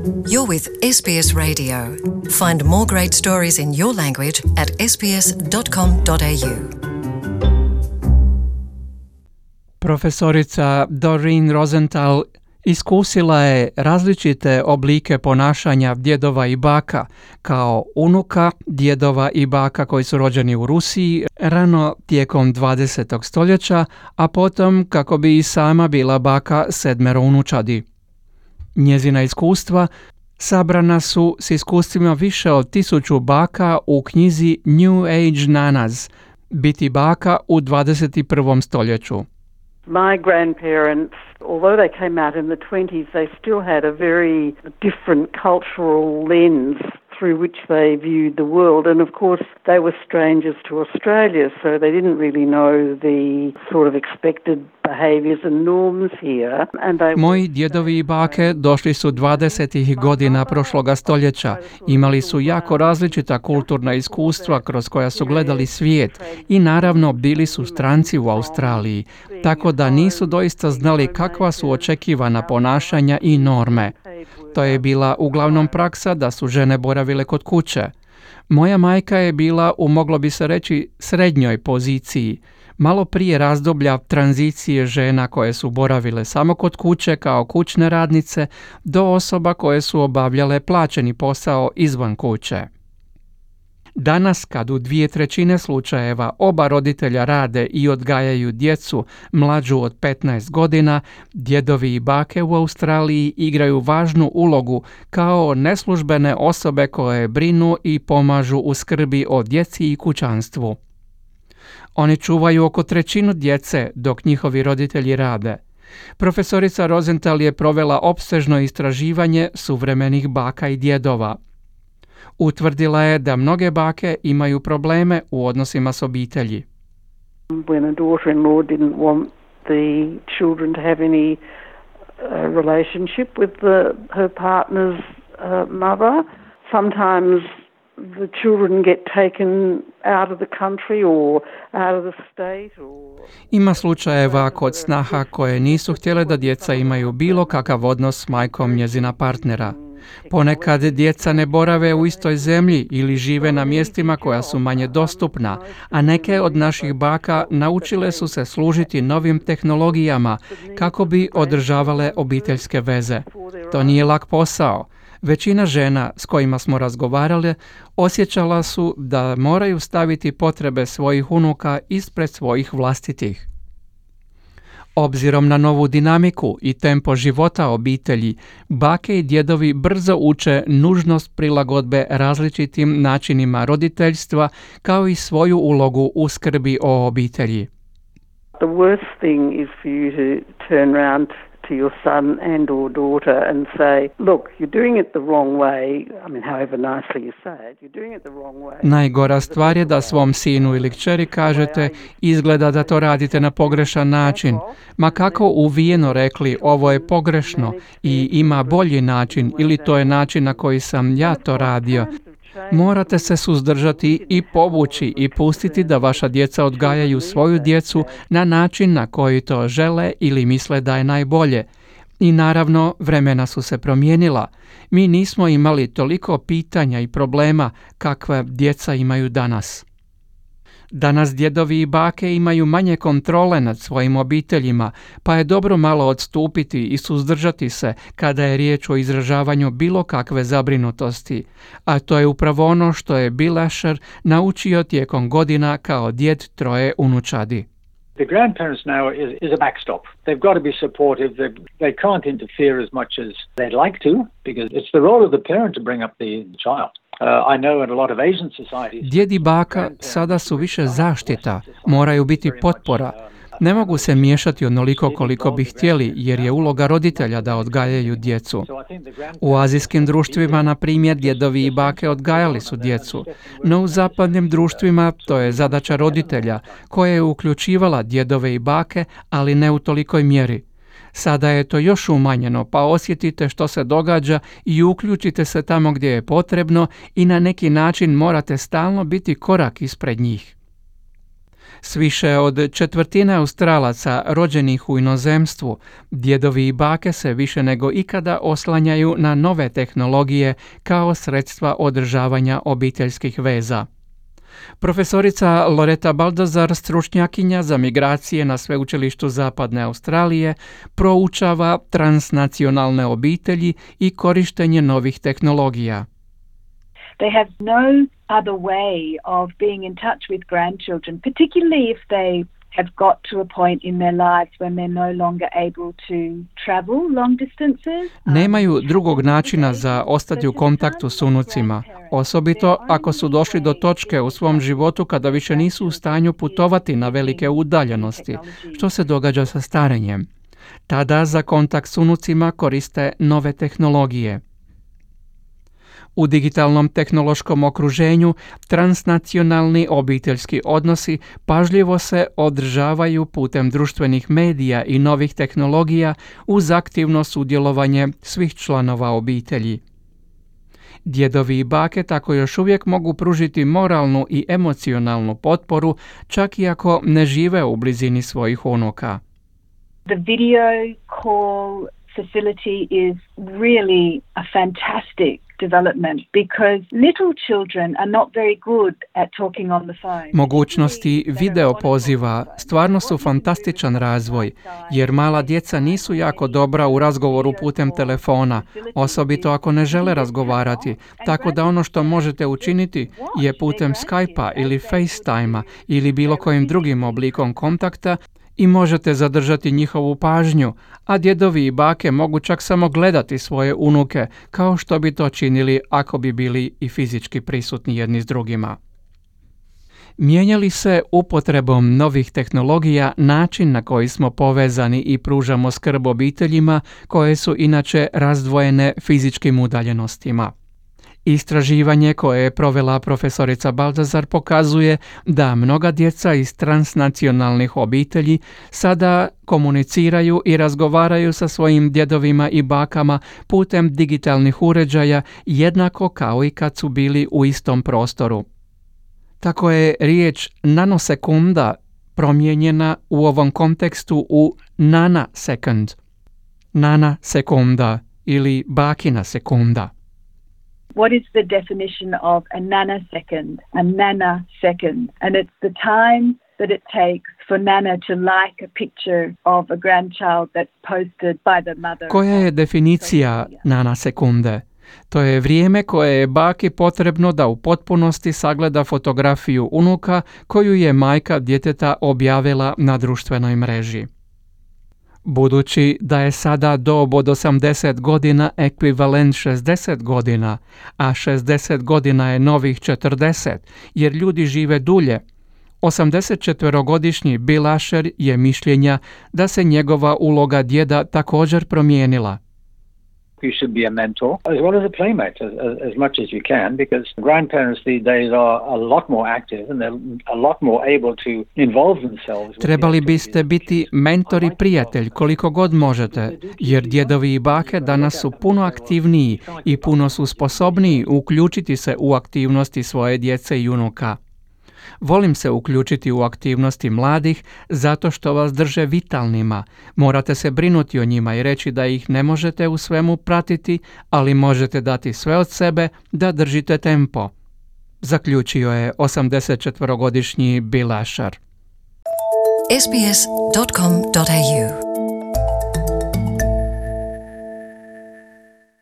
You're with SBS Radio. Find more great stories in your language at sbs.com.au. Profesorica Doreen Rosenthal iskusila je različite oblike ponašanja djedova i baka, kao unuka djedova i baka koji su rođeni u Rusiji rano tijekom 20. stoljeća, a potom kako bi i sama bila baka 7 unučadi. Njezina iskustva sabrana su s iskustvima više od 1000 baka u knjizi New Age Nanas, biti baka u 21. stoljeću. My grandparents, although they came out in the 20s, they still had a very different cultural lens through which they viewed the world. And of course, they were strangers to Australia, so they didn't really know the sort of expected behaviors and norms here. Moji djedovi i bake došli su 20. godina prošloga stoljeća. Imali su jako različita kulturna iskustva kroz koja su gledali svijet i naravno bili su stranci u Australiji, tako da nisu doista znali kakva su očekivana ponašanja i norme. To je bila uglavnom praksa da su žene boravile kod kuće. Moja majka je bila u, moglo bi se reći, srednjoj poziciji, malo prije razdoblja tranzicije žena koje su boravile samo kod kuće kao kućne radnice do osoba koje su obavljale plaćeni posao izvan kuće. Danas, kad u 2/3 slučajeva oba roditelja rade i odgajaju djecu mlađu od 15 godina, djedovi i bake u Australiji igraju važnu ulogu kao neslužbene osobe koje brinu i pomažu u skrbi o djeci i kućanstvu. Oni čuvaju oko 1/3 djece dok njihovi roditelji rade. Profesorica Rosenthal je provela opsežno istraživanje suvremenih baka i djedova. Utvrdila je da mnoge bake imaju probleme u odnosima s obitelji. When a daughter-in-law didn't want the children to have any relationship with her partner's mother, sometimes the children get taken out of the country or out of the state. Ima slučajeva kod snaha koje nisu htjele da djeca imaju bilo kakav odnos s majkom njezina partnera. Ponekad djeca ne borave u istoj zemlji ili žive na mjestima koja su manje dostupna, a neke od naših baka naučile su se služiti novim tehnologijama kako bi održavale obiteljske veze. To nije lak posao. Većina žena s kojima smo razgovarali osjećala su da moraju staviti potrebe svojih unuka ispred svojih vlastitih. Obzirom na novu dinamiku i tempo života obitelji, bake i djedovi brzo uče nužnost prilagodbe različitim načinima roditeljstva kao i svoju ulogu u skrbi o obitelji. The worst thing is for you to turn around to your son and or daughter and say, look, you're doing it the wrong way. I mean, however nicely you say it, you're doing it the wrong way. Najgora stvar je da svom sinu ili kćeri kažete, izgleda da to radite na pogrešan način. Ma kako uvijeno rekli, ovo je pogrešno i ima bolji način ili to je način na koji sam ja to radio. Morate se suzdržati i povući i pustiti da vaša djeca odgajaju svoju djecu na način na koji to žele ili misle da je najbolje. I naravno, vremena su se promijenila. Mi nismo imali toliko pitanja i problema kakve djeca imaju danas. Danas djedovi i bake imaju manje kontrole nad svojim obiteljima, pa je dobro malo odstupiti i suzdržati se kada je riječ o izražavanju bilo kakve zabrinutosti. A to je upravo ono što je Bill Asher naučio tijekom godina kao djed 3 unučadi. The grandparents now is a backstop. They've got to be supportive. They can't interfere as much as they'd like to, because it's the role of the parent to bring up the child. I know in a lot of Asian societies. Djed i baka sada su više zaštita, moraju biti potpora. Ne mogu se miješati onoliko koliko bi htjeli, jer je uloga roditelja da odgajaju djecu. U azijskim društvima, na primjer, djedovi i bake odgajali su djecu, no u zapadnim društvima to je zadaća roditelja, koja je uključivala djedove i bake, ali ne u tolikoj mjeri. Sada je to još umanjeno, pa osjetite što se događa i uključite se tamo gdje je potrebno i na neki način morate stalno biti korak ispred njih. S više od četvrtine Australaca rođenih u inozemstvu, djedovi i bake se više nego ikada oslanjaju na nove tehnologije kao sredstva održavanja obiteljskih veza. Profesorica Loretta Baldazar, stručnjakinja za migracije na Sveučilištu Zapadne Australije, proučava transnacionalne obitelji i korištenje novih tehnologija. They have no other way of being in touch with grandchildren, particularly if they have got to a point in their lives when they're no longer able to travel long distances. Nemaju drugog načina za ostati u kontaktu s unucima, osobito ako su došli do točke u svom životu kada više nisu u stanju putovati na velike udaljenosti, što se događa sa starenjem. Tada za kontakt s unucima koriste nove tehnologije. U digitalnom tehnološkom okruženju transnacionalni obiteljski odnosi pažljivo se održavaju putem društvenih medija i novih tehnologija uz aktivno sudjelovanje svih članova obitelji. Djedovi i bake tako još uvijek mogu pružiti moralnu i emocionalnu potporu, čak i ako ne žive u blizini svojih unuka. The video call facility is really a fantastic development because little children are not very good at talking on the phone. Mogućnosti video poziva stvarno su fantastičan razvoj, jer mala djeca nisu jako dobra u razgovoru putem telefona, osobito ako ne žele razgovarati, tako da ono što možete učiniti je putem Skype-a ili FaceTime-a ili bilo kojim drugim oblikom kontakta i možete zadržati njihovu pažnju, a djedovi i bake mogu čak samo gledati svoje unuke, kao što bi to činili ako bi bili i fizički prisutni jedni s drugima. Mijenjali se upotrebom novih tehnologija način na koji smo povezani i pružamo skrb obiteljima koje su inače razdvojene fizičkim udaljenostima. Istraživanje koje je provela profesorica Baldazar pokazuje da mnoga djeca iz transnacionalnih obitelji sada komuniciraju i razgovaraju sa svojim djedovima i bakama putem digitalnih uređaja jednako kao i kad su bili u istom prostoru. Tako je riječ nanosekunda promijenjena u ovom kontekstu u nanasekund. Nanasekunda ili bakina sekunda. What is the definition of a nanosecond? A nanosecond. And it's the time that it takes for Nana to like a picture of a grandchild that's posted by the mother. Koja je definicija nanosekunde? To je vrijeme koje je baki potrebno da u potpunosti sagleda fotografiju unuka koju je majka djeteta objavila na društvenoj mreži. Budući da je sada dob od 80 godina ekvivalent 60 godina, a 60 godina je novih 40, jer ljudi žive dulje, 84-godišnji Bill Asher je mišljenja da se njegova uloga djeda također promijenila. You should be a mentor as well as a playmate as much as you can, because grandparents these days are a lot more active and they're a lot more able to involve themselves. Trebali biste biti mentor i prijatelj koliko god možete, jer djedovi i bake danas su puno aktivniji i puno su sposobniji uključiti se u aktivnosti svoje djece i unuka. Volim se uključiti u aktivnosti mladih zato što vas drže vitalnima. Morate se brinuti o njima i reći da ih ne možete u svemu pratiti, ali možete dati sve od sebe da držite tempo. Zaključio je 84-godišnji Bill Asher. sbs.com.au